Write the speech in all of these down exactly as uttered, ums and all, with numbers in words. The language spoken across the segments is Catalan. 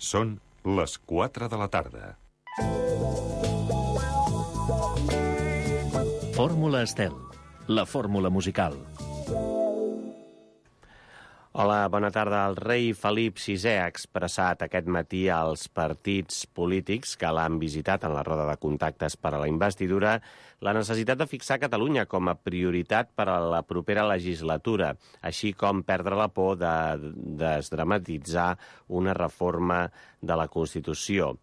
Són les quatre de la tarda. Fórmula Estel, la fórmula musical. Hola, bona tarda. El rei Felip sisè ha expressat aquest matí als partits polítics que l'han visitat en la roda de contactes per a la investidura la necessitat de fixar Catalunya com a prioritat per a la propera legislatura, així com perdre la por de desdramatitzar una reforma de la Constitució.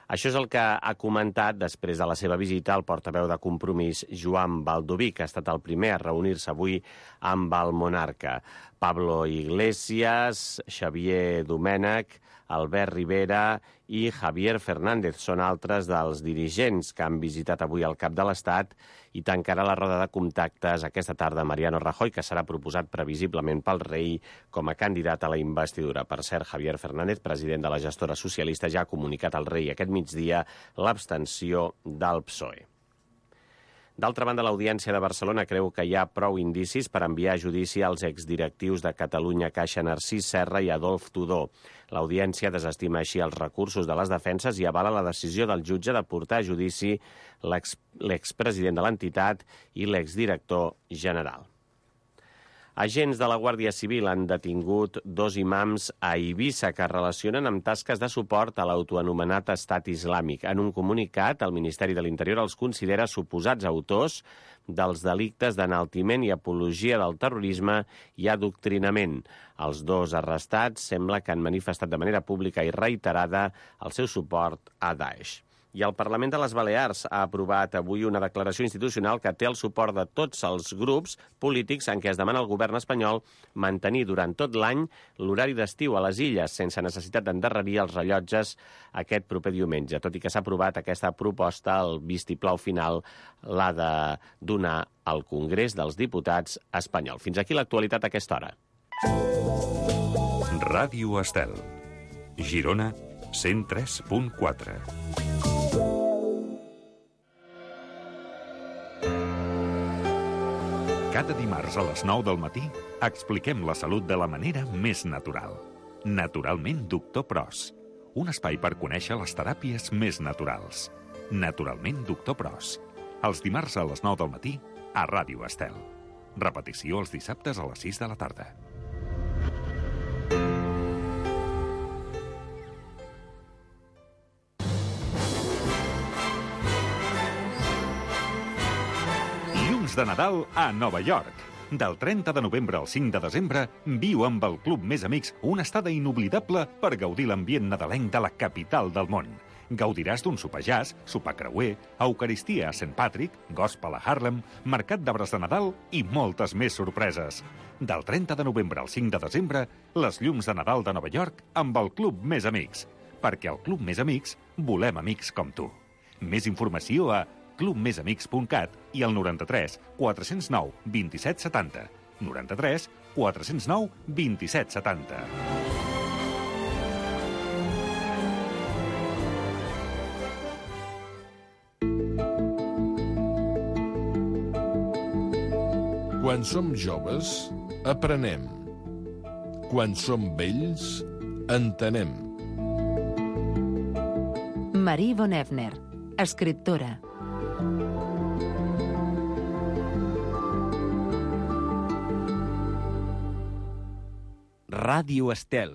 Això és el que ha comentat després de la seva visita el portaveu de Compromís, Joan Baldoví, que ha estat el primer a reunir-se avui amb el monarca. Pablo Iglesias, Xavier Domènech, Albert Rivera i Javier Fernández són altres dels dirigents que han visitat avui el cap de l'Estat i tancarà la roda de contactes aquesta tarda Mariano Rajoy, que serà proposat previsiblement pel rei com a candidat a la investidura. Per cert, Javier Fernández, president de la gestora socialista, ja ha comunicat al rei aquest migdia l'abstenció del P S O E. D'altra banda, l'Audiència de Barcelona creu que hi ha prou indicis per enviar a judici als exdirectius de Catalunya Caixa Narcís Serra i Adolf Tudó. L'Audiència desestima així els recursos de les defenses i avala la decisió del jutge de portar a judici l'expresident de l'entitat i l'exdirector general. Agents de la Guàrdia Civil han detingut dos imams a Eivissa que es relacionen amb tasques de suport a l'autoanomenat Estat Islàmic. En un comunicat, el Ministeri de l'Interior els considera suposats autors dels delictes d'enaltiment i apologia del terrorisme i adoctrinament. Els dos arrestats sembla que han manifestat de manera pública i reiterada el seu suport a Daesh. I el Parlament de les Balears ha aprovat avui una declaració institucional que té el suport de tots els grups polítics en què es demana al govern espanyol mantenir durant tot l'any l'horari d'estiu a les illes sense necessitat d'endarrerir els rellotges aquest proper diumenge. Tot i que s'ha aprovat aquesta proposta, el vistiplau final l'ha de donar al Congrés dels Diputats espanyol. Fins aquí l'actualitat a aquesta hora. Ràdio Estel, Girona, cent tres punt quatre. Cada dimarts a les nou del matí expliquem la salut de la manera més natural. Naturalment Doctor Pros. Un espai per conèixer les teràpies més naturals. Naturalment Doctor Pros. Els dimarts a les nou del matí a Ràdio Estel. Repetició els dissabtes a les sis de la tarda. De Nadal a Nova York. Del trenta de novembre al cinc de desembre, viu amb el Club Més Amics una estada inoblidable per gaudir l'ambient nadalenc de la capital del món. Gaudiràs d'un sopar jazz, sopar creuer, eucaristia a Saint Patrick, gospel a Harlem, mercat d'arbres de Nadal i moltes més sorpreses. Del trenta de novembre al cinc de desembre, les llums de Nadal de Nova York amb el Club Més Amics. Perquè al Club Més Amics volem amics com tu. Més informació a club més amics punt cat i al noranta-tres quatre zero nou dos set set zero. noranta-tres quatre zero nou dos set set zero. Quan som joves, aprenem. Quan som vells, entenem. Marie von Effner, escriptora. Ràdio Estel.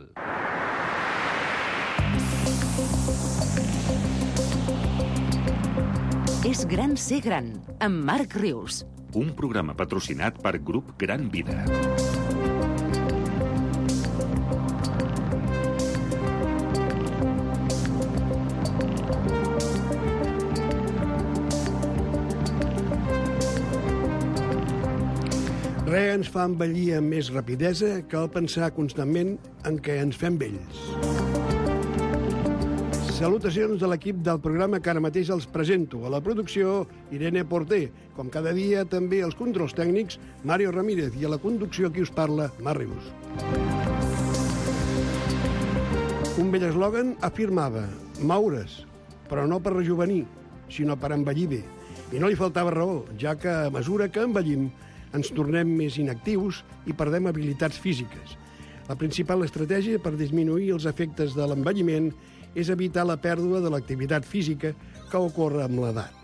És gran ser gran, amb Marc Rius. Un programa patrocinat per Grup Gran Vida. Res ens fa envellir amb més rapidesa que el pensar constantment en què ens fem vells. Salutacions de l'equip del programa que ara mateix els presento. A la producció, Irene Porter. Com cada dia, també els controls tècnics, Mario Ramírez. I a la conducció, qui us parla, Marc Rius. Un vell eslògan afirmava moure's, però no per rejuvenir, sinó per envellir bé. I no li faltava raó, ja que a mesura que envellim ens tornem més inactius i perdem habilitats físiques. La principal estratègia per disminuir els efectes de l'envelliment és evitar la pèrdua de l'activitat física que ocorre amb l'edat.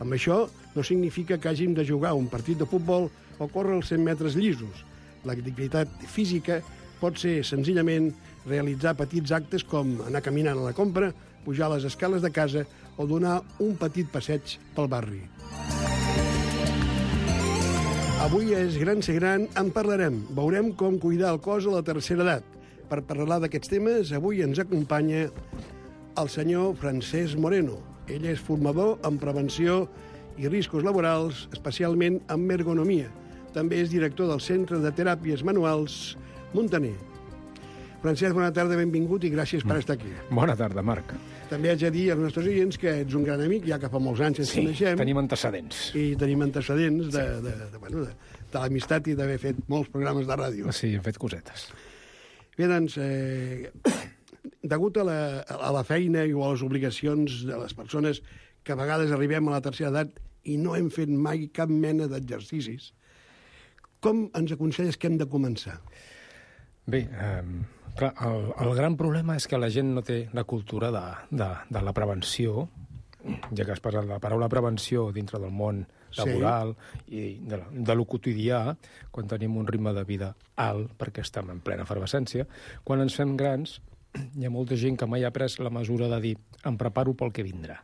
Amb això no significa que hàgim de jugar un partit de futbol o córrer els cent metres llisos. L'activitat física pot ser senzillament realitzar petits actes com anar caminant a la compra, pujar les escales de casa o donar un petit passeig pel barri. Avui és Gran ser gran, en parlarem. Veurem com cuidar el cos a la tercera edat. Per parlar d'aquests temes, avui ens acompanya el senyor Francesc Moreno. Ell és formador en prevenció i riscos laborals, especialment en ergonomia. També és director del Centre de Teràpies Manuals Montaner. Francesc, bona tarda, benvingut i gràcies per estar aquí. Bona tarda, Marc. També haig de dir als nostres oients que ets un gran amic, ja que fa molts anys ens Sí, coneixem. tenim antecedents. I tenim antecedents de, de, de, bueno, de, de l'amistat i d'haver fet molts programes de ràdio. Sí, hem fet cosetes. Bé, doncs, eh, degut a la, a la feina i a les obligacions de les persones que a vegades arribem a la tercera edat i no hem fet mai cap mena d'exercicis, com ens aconselles que hem de començar? Bé, eh, clar, el, el gran problema és que la gent no té la cultura de, de, de la prevenció, ja que has parlat de la paraula prevenció dintre del món laboral sí. i de, de lo quotidià, quan tenim un ritme de vida alt, perquè estem en plena efervescència, quan ens fem grans, hi ha molta gent que mai ha pres la mesura de dir em preparo pel que vindrà.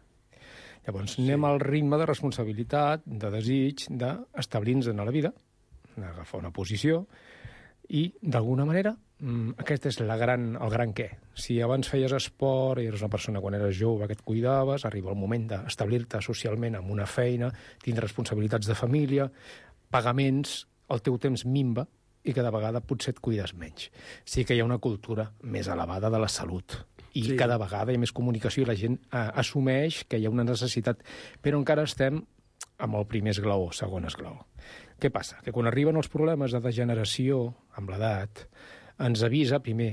Llavors, sí. anem al ritme de responsabilitat, de desig, d'establir-nos en la vida, d'agafar una posició, i, d'alguna manera, aquest és la gran, el gran què. Si abans feies esport i eres una persona quan eres jove que et cuidaves, arriba el moment d'establir-te socialment amb una feina, tindre responsabilitats de família, pagaments, el teu temps minva i cada vegada potser et cuides menys. Sí que hi ha una cultura més elevada de la salut i sí. cada vegada hi ha més comunicació i la gent eh, assumeix que hi ha una necessitat, però encara estem amb el primer esglaó, segon esglaó. Què passa? Que quan arriben els problemes de degeneració amb l'edat, ens avisa, primer,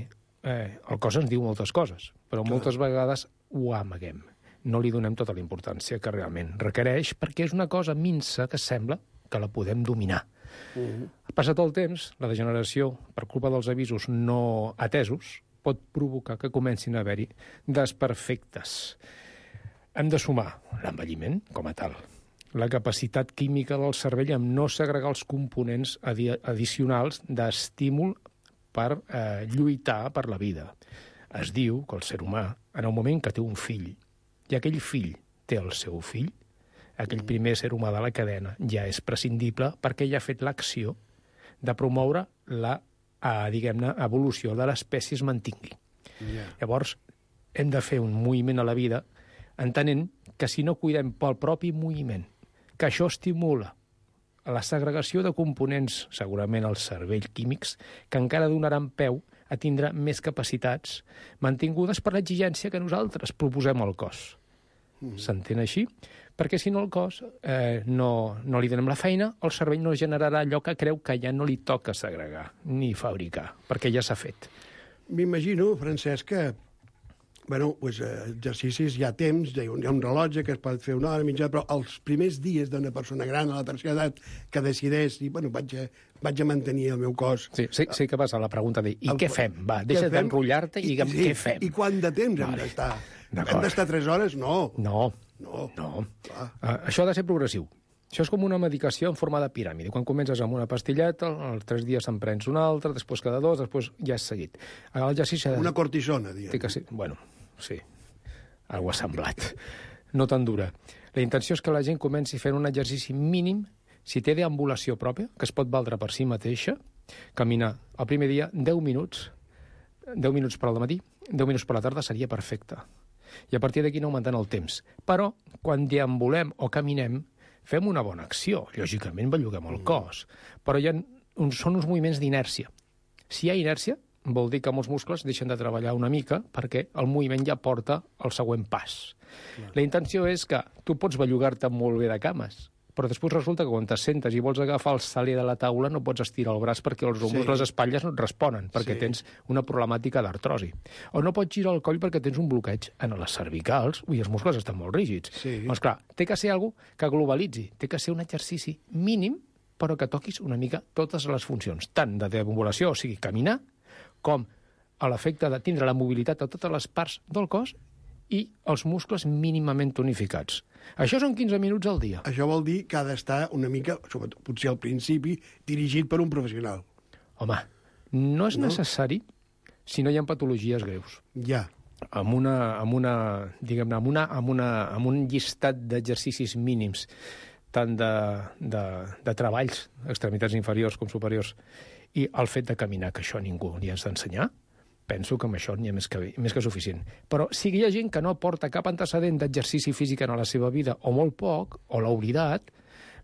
eh, el cos ens diu moltes coses, però moltes vegades ho amaguem. No li donem tota la importància que realment requereix, perquè és una cosa minsa que sembla que la podem dominar. Uh-huh. Passat el temps, la degeneració, per culpa dels avisos no atesos, pot provocar que comencin a haver-hi desperfectes. Hem de sumar l'envelliment com a tal, la capacitat química del cervell amb no segregar els components adi addicionals d'estímul per eh, lluitar per la vida. Es diu que el ser humà, en el moment que té un fill, i aquell fill té el seu fill, aquell primer ser humà de la cadena ja és prescindible perquè ja ha fet l'acció de promoure la, eh, diguem-ne, evolució de l'espècie es mantingui. Yeah. Llavors, hem de fer un moviment a la vida entenent que si no cuidem pel propi moviment, que això estimula la segregació de components, segurament al cervell químics, que encara donaran peu a tindre més capacitats mantingudes per l'exigència que nosaltres proposem al cos. Mm. S'entén així? Perquè si no el cos eh, no, no li donem la feina, el cervell no generarà allò que creu que ja no li toca segregar ni fabricar, perquè ja s'ha fet. M'imagino, Francesc, que bueno, pues, eh, exercicis hi ha temps, hi ha, un, hi ha un rellotge que es pot fer una hora mitja, però els primers dies d'una persona gran a la tercera edat que decideix i bueno, vaig, a, vaig a mantenir el meu cos. Sí, sí, sí que passa la pregunta de i el, què fem? Va, deixa d'enrotllar-te i digue'm sí, què fem. I quant de temps vale. hem d'estar? Hem d'estar tres hores? No. No. No. no. Uh, això ha de ser progressiu. Això és com una medicació en forma de piràmide. Quan comences amb una pastilleta, els tres dies se'n prens una altra, després cada dos, després ja és seguit. L'exercici de... Una cortisona, diguem. Que ser... Bueno, sí, algo ha semblat. No tan dura. La intenció és que la gent comenci fent un exercici mínim, si té deambulació pròpia, que es pot valdre per si mateixa, caminar el primer dia deu minuts, deu minuts per al matí, deu minuts per la tarda seria perfecte. I a partir d'aquí anar augmentant el temps. Però, quan deambulem o caminem, fem una bona acció. Lògicament, belluguem el cos. Però hi ha uns, són uns moviments d'inèrcia. Si hi ha inèrcia, vol dir que molts muscles deixen de treballar una mica perquè el moviment ja porta el següent pas. Clar. La intenció és que tu pots bellugar-te molt bé de cames, però després resulta que quan t'assentes i vols agafar el saler de la taula no pots estirar el braç perquè els ombros, sí. les espatlles no et responen, perquè sí. tens una problemàtica d'artrosi. O no pots girar el coll perquè tens un bloqueig en les cervicals, ui, els muscles estan molt rígids. Sí. Doncs clar, té que ser alguna que globalitzi, té que ser un exercici mínim, però que toquis una mica totes les funcions, tant de deambulació, o sigui, caminar, com a l'efecte de tindre la mobilitat a totes les parts del cos i els muscles mínimament tonificats. Això són quinze minuts al dia. Això vol dir que ha d'estar una mica, sobretot, potser al principi, dirigit per un professional. Home, no és No? necessari si no hi ha patologies greus. Ja. Amb una, amb una, diguem-ne, amb, una, amb, una, amb un llistat d'exercicis mínims, tant de, de, de treballs, extremitats inferiors com superiors, i el fet de caminar, que això ningú li has d'ensenyar, penso que amb això n'hi ha més que, més que suficient. Però si hi ha gent que no porta cap antecedent d'exercici físic en la seva vida, o molt poc, o l'ha oblidat,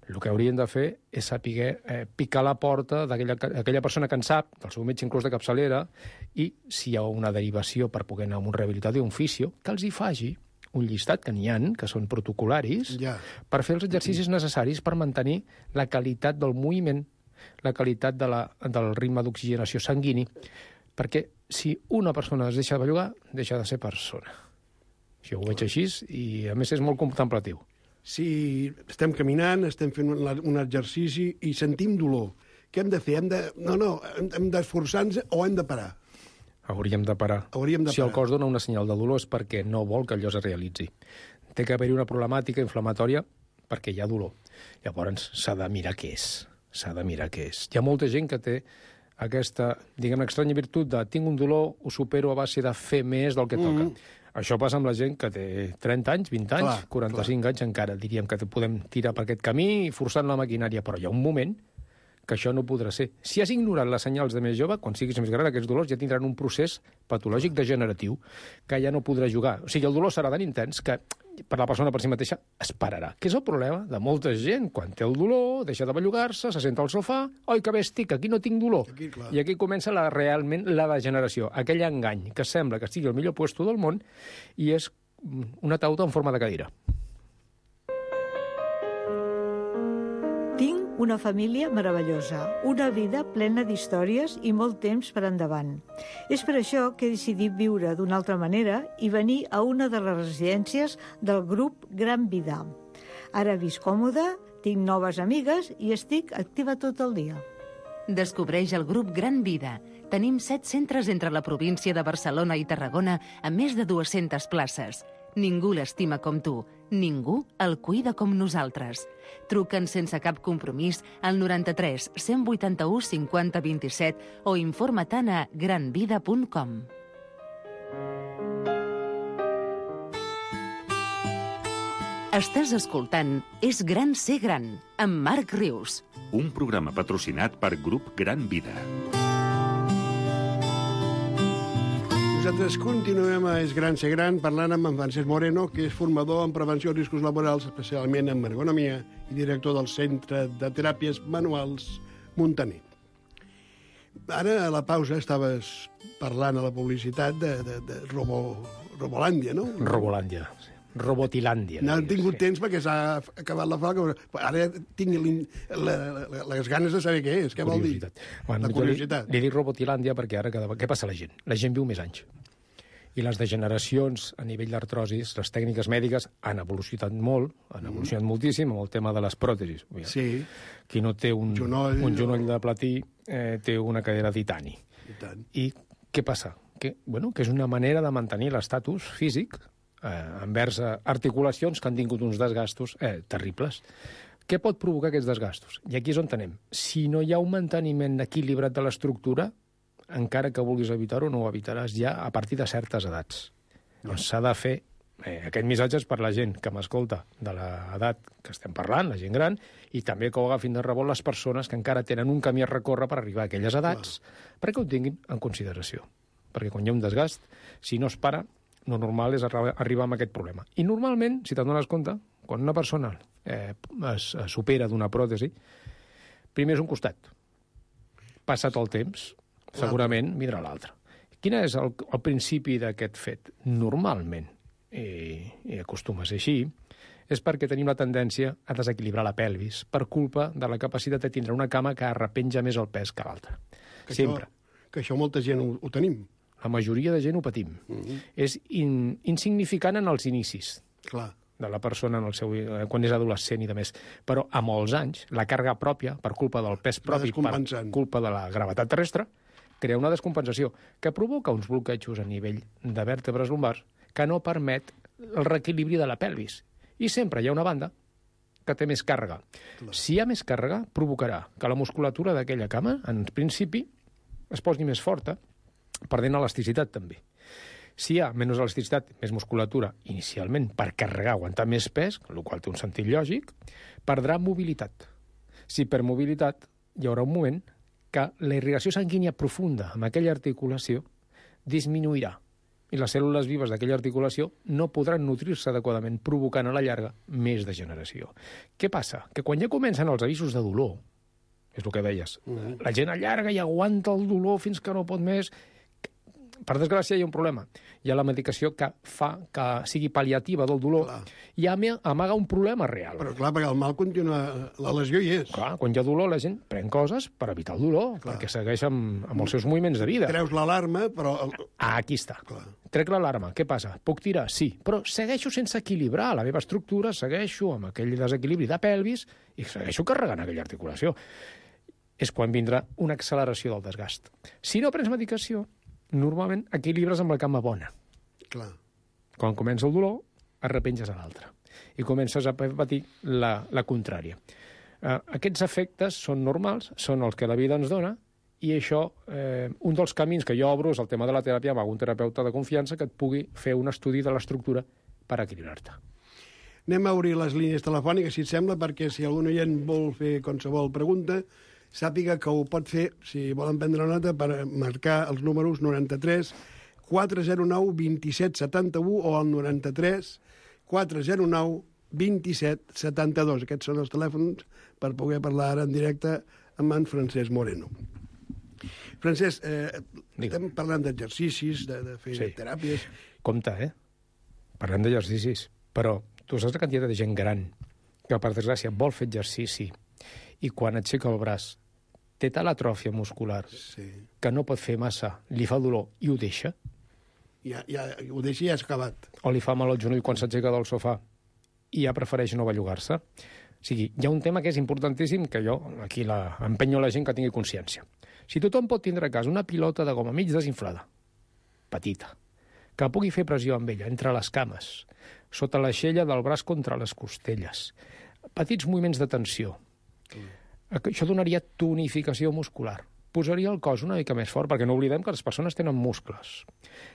el que haurien de fer és saber eh, picar la porta d'aquella persona que en sap, del seu metge inclús de capçalera, i si hi ha una derivació per poder anar a un rehabilitador i un fisio, que els hi faci un llistat, que n'hi ha, que són protocolaris, Ja. per fer els exercicis necessaris per mantenir la qualitat del moviment, la qualitat de la, del ritme d'oxigenació sanguini, perquè si una persona es deixa de bellugar, deixa de ser persona. Jo ho veig així i, a més, és molt contemplatiu. Si estem caminant, estem fent un, un exercici i sentim dolor, què hem de fer? Hem de... No, no, hem, hem d'esforçar-nos o hem de parar? Hauríem de parar. Hauríem de si el parar. cos dona una senyal de dolor és perquè no vol que allò es realitzi. Té que haver-hi una problemàtica inflamatòria perquè hi ha dolor. Llavors s'ha de mirar què és. S'ha de mirar què és. Hi ha molta gent que té aquesta, diguem, estranya virtut de tinc un dolor, ho supero a base de fer més del que toca. Mm. Això passa amb la gent que té trenta anys, vint anys, Clar, quaranta-cinc clar. anys encara. Diríem que podem tirar per aquest camí forçant la maquinària, però hi ha un moment que això no podrà ser. Si has ignorat les senyals de més jove, quan siguis més gran, aquests dolors ja tindran un procés patològic degeneratiu que ja no podrà jugar. O sigui, el dolor serà tan intens que per la persona per si mateixa es pararà. Que és el problema de molta gent. Quan té el dolor, deixa de bellugar-se, se senta al sofà, oi, que bé estic, aquí no tinc dolor. Aquí, clar. I aquí comença la, realment la degeneració, aquell engany que sembla que estigui al millor puesto del món i és una tauta en forma de cadira. Tinc una família meravellosa, una vida plena d'històries i molt temps per endavant. És per això que he decidit viure d'una altra manera i venir a una de les residències del grup Gran Vida. Ara visc còmode, tinc noves amigues i estic activa tot el dia. Descobreix el grup Gran Vida. Tenim set centres entre la província de Barcelona i Tarragona amb més de dues-centes places. Ningú l'estima com tu. Ningú el cuida com nosaltres. Truca'ns sense cap compromís al noranta-tres cent vuitanta-u cinquanta vint-i-set o informa-te'n a gran vida punt com. Estàs escoltant És gran ser gran, amb Marc Rius. Un programa patrocinat per Grup Gran Vida. Nosaltres continuem a És gran ser gran parlant amb en Francesc Moreno, que és formador en prevenció de riscos laborals, especialment en ergonomia, i director del Centre de Teràpies Manuals Muntaner. Ara, a la pausa, estaves parlant a la publicitat de, de, de Robo, Robolàndia, no? Robolàndia, sí. Robotilàndia. No he tingut temps perquè s'ha acabat la falca. Ara tinc la, la, les ganes de saber què és. Què vol dir? Bueno, la curiositat. Li, li dic Robotilàndia perquè ara... Cada... Què passa a la gent? La gent viu més anys. I les degeneracions a nivell d'artrosis, les tècniques mèdiques han evolucionat molt, han evolucionat mm. moltíssim amb el tema de les pròtesis. Sí. Qui no té un genoll, un genoll de platí eh, té una cadera de titani. I tant. I què passa? Que, bueno, que és una manera de mantenir l'estatus físic eh, envers articulacions que han tingut uns desgastos eh, terribles. Què pot provocar aquests desgastos? I aquí és on tenem. Si no hi ha un manteniment equilibrat de l'estructura, encara que vulguis evitar-ho, no ho evitaràs ja a partir de certes edats. Doncs s'ha de fer... Eh, aquest missatge és per la gent que m'escolta de l'edat que estem parlant, la gent gran, i també que ho agafin de rebot les persones que encara tenen un camí a recórrer per arribar a aquelles edats, clar, perquè ho tinguin en consideració. Perquè quan hi ha un desgast, si no es para, lo normal és arribar amb aquest problema. I normalment, si te'n dones compte, quan una persona eh, es, es supera d'una pròtesi, primer és un costat. Passat el temps, segurament vindrà l'altre. Quin és el, el principi d'aquest fet? Normalment, i, i acostuma a ser així, és perquè tenim la tendència a desequilibrar la pelvis per culpa de la capacitat de tindre una cama que arrepenja més el pes que l'altra. Sempre. Això, que això molta gent ho, ho tenim. La majoria de gent ho patim. Mm-hmm. És in, insignificant en els inicis. Clar. De la persona en el seu, quan és adolescent i de més. Però a molts anys, la càrrega pròpia, per culpa del pes propi, per culpa de la gravetat terrestre, crea una descompensació que provoca uns bloquejos a nivell de vèrtebres lumbars que no permet el reequilibri de la pelvis. I sempre hi ha una banda que té més càrrega. Clar. Si hi ha més càrrega, provocarà que la musculatura d'aquella cama, en principi, es posi més forta, perdent elasticitat també. Si hi ha menys elasticitat, més musculatura, inicialment, per carregar, aguantar més pes, el qual té un sentit lògic, perdrà mobilitat. Si per mobilitat hi haurà un moment que la irrigació sanguínia profunda amb aquella articulació disminuirà i les cèl·lules vives d'aquella articulació no podran nutrir-se adequadament, provocant a la llarga més degeneració. Què passa? Que quan ja comencen els avisos de dolor, és el que deies, mm. la gent allarga i aguanta el dolor fins que no pot més. Per desgràcia, hi ha un problema. Hi ha la medicació que fa que sigui pal·liativa del dolor clar. I amaga un problema real. Però clar, perquè el mal continua... La lesió hi és. Clar, quan hi ha dolor, la gent pren coses per evitar el dolor, clar. Perquè segueix amb, amb els seus moviments de vida. Treus l'alarma, però... Ah, aquí està. Clar. Trec l'alarma. Què passa? Puc tirar? Sí. Però segueixo sense equilibrar la meva estructura, segueixo amb aquell desequilibri de pelvis i segueixo carregant aquella articulació. És quan vindrà una acceleració del desgast. Si no prens medicació, normalment equilibres amb la cama bona. Clar. Quan comença el dolor, es repenges a l'altre. I comences a patir la, la contrària. Uh, aquests efectes són normals, són els que la vida ens dona, i això, eh, un dels camins que jo obro és el tema de la teràpia amb algun terapeuta de confiança que et pugui fer un estudi de l'estructura per equilibrar-te. Anem a obrir les línies telefòniques, si et sembla, perquè si algun oient vol fer qualsevol pregunta, sàpiga que ho pot fer, si volen prendre nota, per marcar els números noranta-tres quatre zero nou vint-i-set setanta-u o el noranta-tres quatre zero nou vint-i-set setanta-dos. Aquests són els telèfons per poder parlar ara en directe amb en Francesc Moreno. Francesc, eh, estem parlant d'exercicis, de, de fer sí. teràpies... Compte, eh? Parlem d'exercicis, però tu saps la quantitat de gent gran que, per desgràcia, vol fer exercici i quan aixeca el braç té tal atròfia muscular sí. que no pot fer massa, li fa dolor i ho deixa. Ja, ja, ho deixa i ja has acabat. O li fa mal al genoll quan s'aixeca del sofà i ja prefereix no bellugar-se. O sigui, hi ha un tema que és importantíssim que jo aquí la, empenyo la gent que tingui consciència. Si tothom pot tindre a casa una pilota de goma mig desinflada, petita, que pugui fer pressió amb ella entre les cames, sota l'aixella del braç contra les costelles, petits moviments de tensió, mm. això donaria tonificació muscular. Posaria el cos una mica més fort, perquè no oblidem que les persones tenen muscles.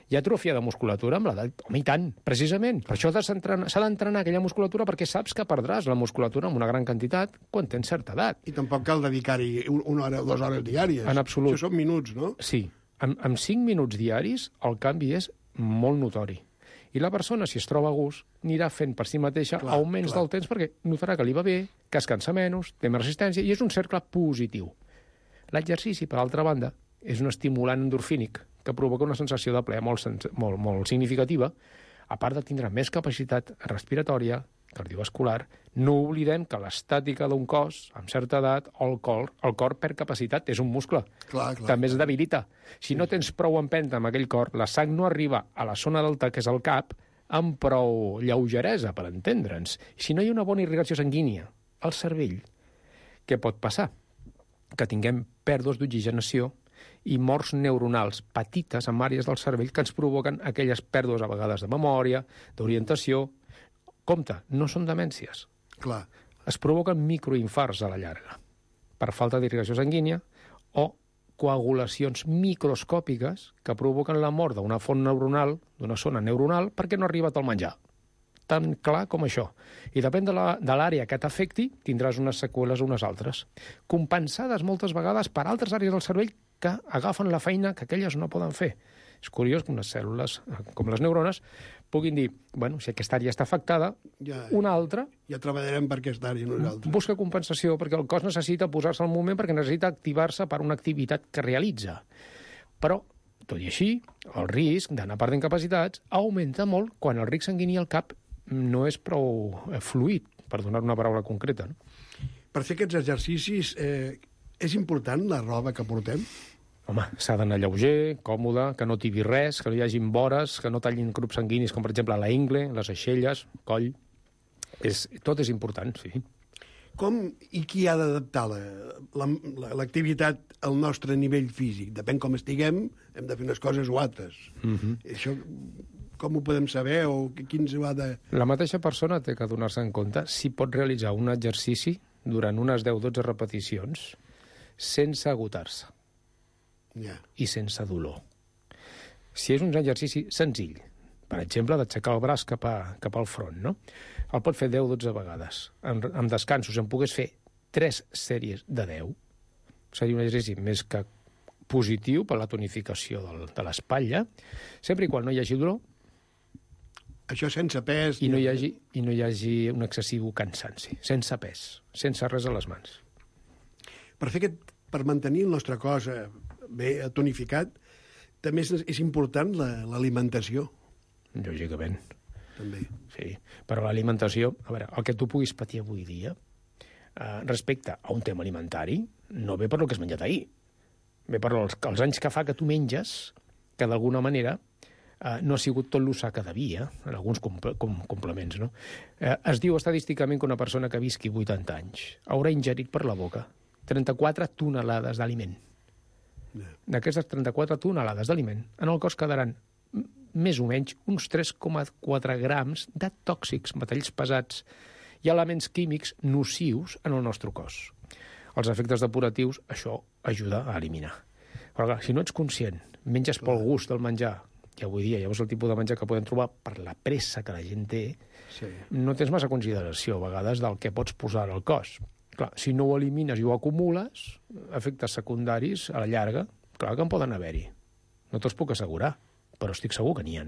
Hi ha atrofia de musculatura amb l'edat? Home, i tant, precisament. Per això s'ha d'entrenar aquella musculatura perquè saps que perdràs la musculatura amb una gran quantitat quan tens certa edat. I tampoc cal dedicar-hi una hora o dues hores diàries. En absolut. Això són minuts, no? Sí. En, en cinc minuts diaris el canvi és molt notori. I la persona, si es troba a gust, anirà fent per si mateixa clar, augments clar. del temps perquè notarà que li va bé, que es cansa menys, té més resistència, i és un cercle positiu. L'exercici, per altra banda, és un estimulant endorfínic que provoca una sensació de plaer molt, molt, molt significativa, a part de tindre més capacitat respiratòria, cardiovascular. No oblidem que l'estàtica d'un cos, amb certa edat, el cor, el cor perd capacitat, és un muscle. Clar, clar, també es clar. debilita. Si no tens prou empenta amb aquell cor, la sang no arriba a la zona delta, que és el cap, amb prou lleugeresa, per entendre'ns. Si no hi ha una bona irrigació sanguínia al cervell, què pot passar? Que tinguem pèrdues d'oxigenació i morts neuronals petites en àrees del cervell que ens provoquen aquelles pèrdues a vegades de memòria, d'orientació. Compte, no són demències. Clar. Es provoquen microinfarts a la llarga per falta d'irrigació sanguínia o coagulacions microscòpiques que provoquen la mort d'una font neuronal, d'una zona neuronal, perquè no ha arribat el menjar. Tan clar com això. I depèn de l'àrea que t'afecti, tindràs unes seqüeles o unes altres, compensades moltes vegades per altres àrees del cervell que agafen la feina que aquelles no poden fer. És curiós que unes cèl·lules, com les neurones, puguin dir, bueno, si aquesta àrea està afectada, ja, una altra... Ja treballarem per aquesta àrea nosaltres. Busca compensació, perquè el cos necessita posar-se al moment, perquè necessita activar-se per una activitat que realitza. Però, tot i així, el risc d'anar perdent capacitats augmenta molt quan el ric sanguini al cap no és prou fluid, per donar una paraula concreta. No? Per fer aquests exercicis, eh, és important la roba que portem? Home, s'ha d'anar lleuger, còmode, que no tibi res, que no hi hagin vores, que no tallin grups sanguinis, com per exemple la ingle, les aixelles, coll. És, tot és important, sí. Com i qui ha d'adaptar l'activitat al nostre nivell físic? Depèn com estiguem, hem de fer unes coses o altres. Uh-huh. Això com ho podem saber o quins ho ha de... La mateixa persona té que donar-se en compte si pot realitzar un exercici durant unes deu dotze repeticions sense agotar-se yeah. i sense dolor. Si és un exercici senzill, per exemple, d'aixecar el braç cap, a, cap al front, no? El pot fer deu dotze vegades. Amb, amb descansos en pogués fer tres sèries de deu. Seria un exercici més que positiu per la tonificació del, de l'espatlla, sempre i quan no hi hagi dolor. Això sense pes... I no hi hagi, i no hi hagi un excessiu cansanci. Sense pes, sense res a les mans. Per fer aquest, per mantenir el nostre cos bé tonificat, també és, és important l'alimentació. La, Lògicament. També. Sí, però l'alimentació, a veure, el que tu puguis patir avui dia, eh, respecte a un tema alimentari, no ve per el que has menjat ahir. Ve per els, els anys que fa que tu menges, que d'alguna manera eh, no ha sigut tot l'usar que devia, en alguns com, com, complements, no? Eh, es diu estadísticament que una persona que visqui vuitanta anys haurà ingerit per la boca trenta-quatre tonelades d'aliment. Yeah. D'aquestes trenta-quatre tonelades d'aliment, en el cos quedaran més o menys uns tres coma quatre grams de tòxics, metalls pesats i elements químics nocius en el nostre cos. Els efectes depuratius, això ajuda a eliminar. Però clar, si no ets conscient, menges pel gust del menjar, i avui dia ja veus el tipus de menjar que podem trobar per la pressa que la gent té, sí. no tens massa consideració a vegades del que pots posar al cos. Clar, si no ho elimines i ho acumules, efectes secundaris a la llarga, clar que en poden haver-hi. No te'ls puc assegurar, però estic segur que n'hi ha.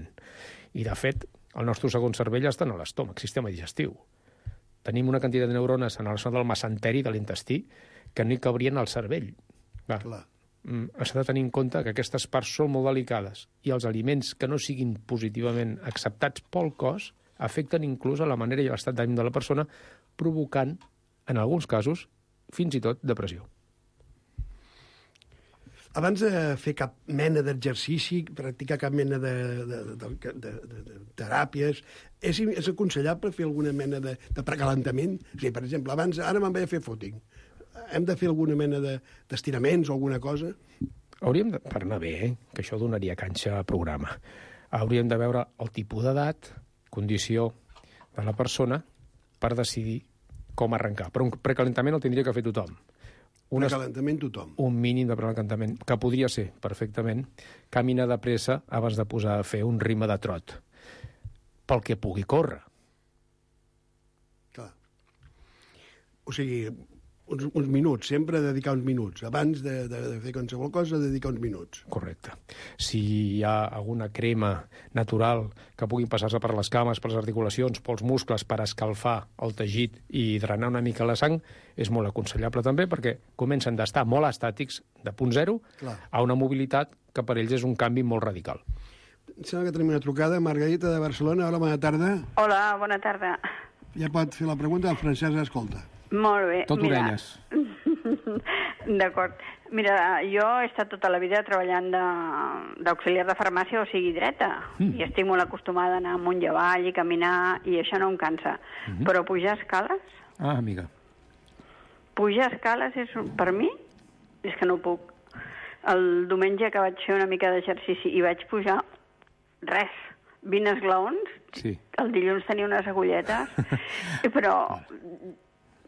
I, de fet, el nostre segon cervell està en l'estómac, sistema digestiu. Tenim una quantitat de neurones en la zona del mesenteri de l'intestí que no hi cabrien al cervell. Clar, Clar. S'ha de tenir en compte que aquestes parts són molt delicades i els aliments que no siguin positivament acceptats pel cos afecten inclús a la manera i l'estat d'ànim de la persona, provocant, en alguns casos, fins i tot depressió. Abans de fer cap mena d'exercici, practicar cap mena de, de, de, de, de, de, de teràpies, és, és aconsellable fer alguna mena de, de precalentament? O sigui, per exemple, abans, ara me'n vaig a fer footing. Hem de fer alguna mena d'estiraments de, o alguna cosa? Hauríem de, per anar bé, eh, que això donaria canxa a programa, hauríem de veure el tipus d'edat, condició de la persona per decidir com arrencar. Però un precalentament el tindria que fer tothom. Un precalentament tothom. Un mínim de precalentament, que podria ser, perfectament, caminar de pressa abans de posar a fer un ritme de trot, pel que pugui córrer. Clar. O sigui, uns, uns minuts, sempre dedicar uns minuts. Abans de, de, de fer qualsevol cosa, dedicar uns minuts. Correcte. Si hi ha alguna crema natural que pugui passar-se per les cames, per les articulacions, pels muscles, per escalfar el teixit i drenar una mica la sang, és molt aconsellable també, perquè comencen d'estar molt estàtics, de punt zero, Clar. a una mobilitat que per ells és un canvi molt radical. Em sembla que tenim una trucada. Margarita, de Barcelona. Hola, bona tarda. Hola, bona tarda. Ja pot fer la pregunta, el Francesc escolta. Molt bé. Tot Mira... orelles. D'acord. Mira, jo he estat tota la vida treballant d'auxiliar de, de farmàcia, o sigui, dreta, mm. i estic molt acostumada a anar amunt i avall i caminar, i això no em cansa. Mm -hmm. Però pujar escales... Ah, amiga. Pujar escales és, per mi, és que no puc. El diumenge que vaig fer una mica d'exercici i vaig pujar, res, vint esglaons, sí. El dilluns tenia unes agulletes, però...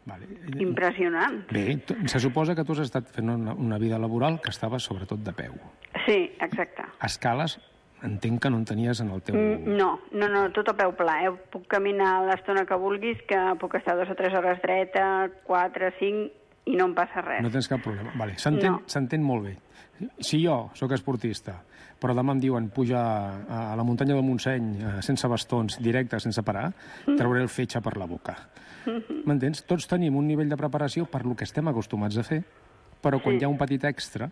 Vale. Impressionant. Bé, se suposa que tu has estat fent una, una vida laboral que estava sobretot de peu. Sí, exacte. Escales, entenc que no en tenies en el teu... Mm, no, no, no, tot a peu pla. Eh? Puc caminar l'estona que vulguis, que puc estar dues o tres hores dreta, quatre, cinc, i no em passa res. No tens cap problema. Vale. S'entén no. molt bé. Si jo sóc esportista, però demà em diuen pujar a la muntanya del Montseny sense bastons, directe, sense parar, trauré el fetge per la boca. M'entens? Tots tenim un nivell de preparació per lo que estem acostumats a fer, però quan sí. hi ha un petit extra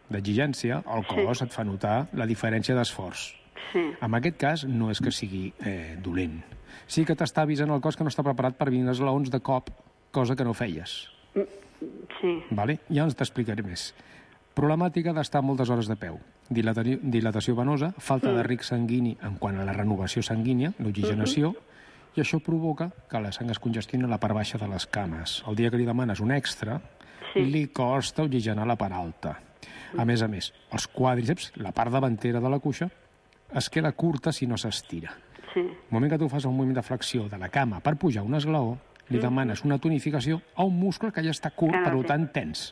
d'exigència, el cos sí. et fa notar la diferència d'esforç. Sí. En aquest cas, no és que sigui eh, dolent. Sí que t'està avisant el cos que no està preparat per vint esglaons de cop, cosa que no feies. Sí. Vale? Ja ens t'explicaré més. Problemàtica d'estar moltes hores de peu. Dilatació, dilatació venosa, falta mm. de ric sanguini en quant a la renovació sanguínia, l'oxigenació, mm-hmm. i això provoca que la sang es congestioni a la part baixa de les cames. El dia que li demanes un extra, sí. li costa oxigenar la part alta. A més a més, els quàdriceps, la part davantera de la cuixa, es queda curta si no s'estira. Sí. El moment que tu fas el moviment de flexió de la cama per pujar un esglaó, li demanes una tonificació a un muscle que ja està curt, Ah, no, per sí. tant tens.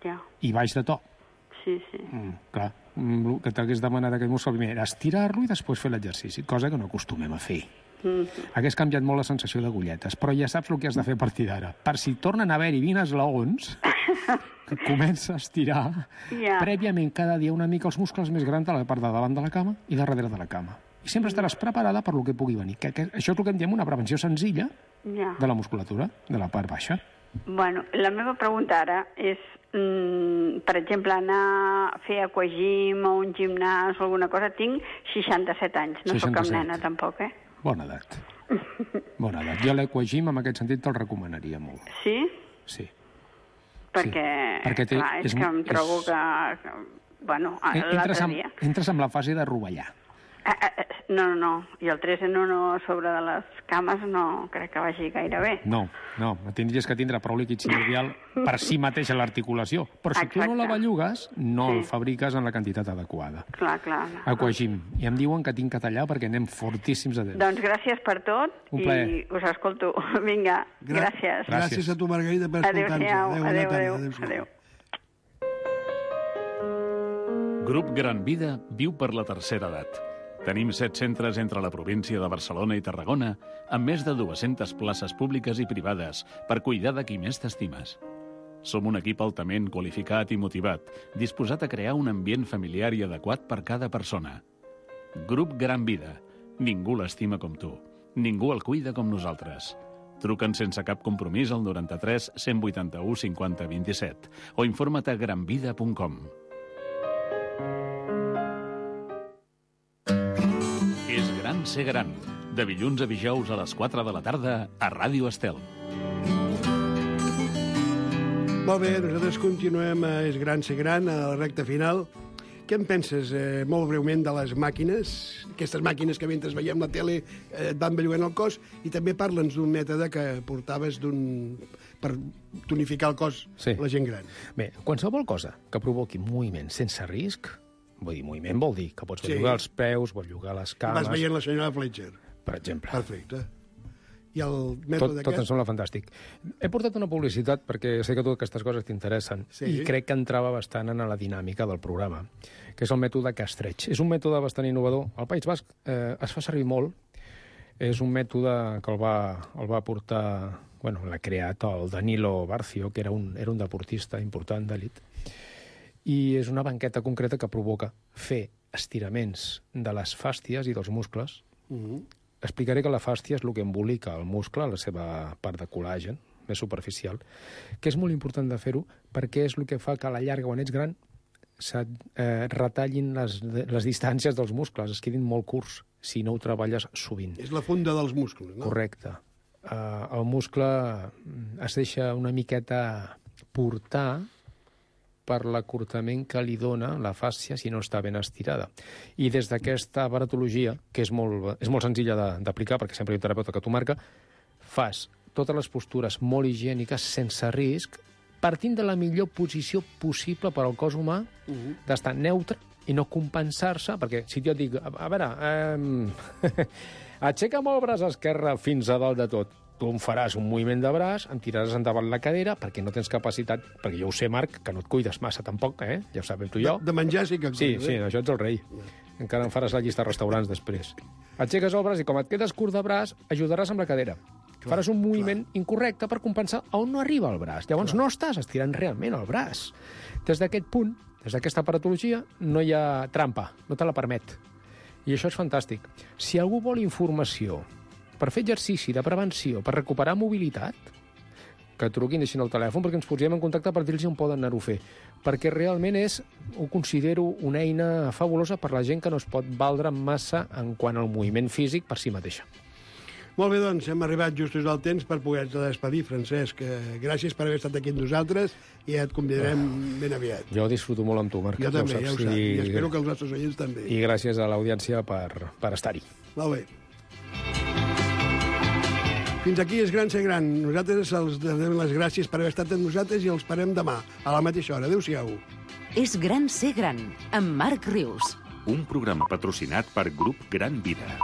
Ja. I baix de to. Sí, sí. Mm, clar, mm, el que t'hagués demanat aquest muscle primer era estirar-lo i després fer l'exercici, cosa que no acostumem a fer. Mm. Hagués canviat molt la sensació d'agulletes, però ja saps el que has de fer a partir d'ara. Per si tornen a haver-hi vint esglaons, que comença a estirar Ja. prèviament cada dia una mica els muscles més grans de la part de davant de la cama i de darrere de la cama. I sempre estaràs preparada per lo que pugui venir. Que, que això és el que en diem una prevenció senzilla Ja. de la musculatura, de la part baixa. Bueno, la meva pregunta ara és, mm, per exemple, anar a fer aquagym o un gimnàs o alguna cosa. Tinc seixanta-set anys, no sóc cap seixanta-set. nena tampoc, eh? Bona edat. Bona edat. Jo l'aquagym, en aquest sentit, te'l recomanaria molt. Sí? Sí. Perquè, Perquè té- clar, és, és que mo- em trobo és- que, que... Bueno, Eh, Entres l'altre en, dia... entres en la fase de rovellar. Ah, ah, ah, no, no, no. I el tres en uno sobre de les cames no crec que vagi gaire bé. No, no, tindries que tindre prou líquid sinovial per si mateixa l'articulació. Però si tu no la Exacte. bellugues, no Sí. el fabriques en la quantitat adequada. Clar, clar. Aquagym. I em diuen que tinc que tallar perquè anem fortíssims a dents. Doncs gràcies per tot Un i plaer. us escolto. Vinga, Gra- gràcies. Gràcies a tu, Margarida, per escoltar-nos. Adéu-siau. bona Adéu, tarda. adéu, Adéu-siau. adéu. Grup Gran Vida viu per la tercera edat. Tenim set centres entre la província de Barcelona i Tarragona, amb més de dues-centes places públiques i privades per cuidar de qui més t'estimes. Som un equip altament qualificat i motivat, disposat a crear un ambient familiar i adequat per cada persona. Grup Gran Vida. Ningú l'estima com tu. Ningú el cuida com nosaltres. Truca'ns sense cap compromís al noranta-tres cent vuitanta-u cinquanta vint-i-set o informa't a granvida punt com. És gran ser gran. De dilluns a dijous a les quatre de la tarda a Ràdio Estel. Molt bé, nosaltres continuem a És gran ser gran, a la recta final. Què en penses, eh, molt breument, de les màquines? Aquestes màquines que mentre veiem la tele eh, et van bellugant el cos, i també parla'ns d'un mètode que portaves d'un per tonificar el cos Sí. la gent gran. Bé, qualsevol cosa que provoqui moviment sense risc, vull dir, moviment vol dir que pots Sí. bellugar els peus, bellugar les cames, Vas veient la senyora Fletcher. per exemple. Perfecte. I el Tot, mètode tot em aquest? sembla fantàstic. He portat una publicitat perquè sé que totes aquestes coses t'interessen Sí. i crec que entrava bastant en la dinàmica del programa, que és el mètode Castreig. És un mètode bastant innovador. Al País Basc eh, es fa servir molt. És un mètode que el va, el va portar... Bueno, l'ha creat el Danilo Barcio, que era un, era un deportista important d'elit. I és una banqueta concreta que provoca fer estiraments de les fàsties i dels muscles. Mhm. Explicaré que la fàstia és el que embolica el muscle, la seva part de col·làgen, més superficial, que és molt important de fer-ho perquè és el que fa que a la llarga, quan ets gran, se't eh, retallin les, les distàncies dels muscles, es quedin molt curts si no ho treballes sovint. És la funda dels músculs, no? Correcte. Uh, el muscle es deixa una miqueta portar per l'acurtament que li dona la fàscia si no està ben estirada. I des d'aquesta baratologia, que és molt, és molt senzilla de- d'aplicar, perquè sempre hi ha un terapeuta que t'ho marca, fas totes les postures molt higièniques, sense risc, partint de la millor posició possible per al cos humà, Mhm. d'estar neutre i no compensar-se, perquè si jo et dic, a, a veure, eh, aixeca molt el braç esquerre fins a dalt de tot, tu em faràs un moviment de braç, em tiraràs endavant la cadera, perquè no tens capacitat, perquè jo ho sé, Marc, que no et cuides massa tampoc, eh? Ja ho sabem tu i jo. De, de menjar sí que... Sí, cuido, sí, eh? això ets el rei. Encara em faràs la llista de restaurants després. Aixeques el braç i com et quedes curt de braç, ajudaràs amb la cadera. Clar, Faràs un moviment incorrecte per compensar on no arriba el braç. Llavors no estàs estirant realment el braç. Des d'aquest punt, des d'aquesta aparatologia, no hi ha trampa, no te la permet. I això és fantàstic. Si algú vol informació per fer exercici de prevenció, per recuperar mobilitat, que truquin, deixin el telèfon, perquè ens posem en contacte per dir-los on poden anar-ho a fer. Perquè realment és, ho considero una eina fabulosa per la gent que no es pot valdre massa en quant al moviment físic per si mateixa. Molt bé, doncs, hem arribat justos al temps per poder-te despedir, Francesc. Eh, Gràcies per haver estat aquí amb nosaltres i et convidarem ben aviat. Jo disfruto molt amb tu, Marc. Jo també, ja ho saps, i espero I, que els nostres oients també. I gràcies a l'audiència per, per estar-hi. Molt bé. Fins aquí és Gran Ser Gran. Nosaltres els donem les gràcies per haver estat amb nosaltres i els esperem demà, a la mateixa hora. Adéu-siau. És Gran Ser Gran, amb Marc Rius. Un programa patrocinat per Grup Gran Vida.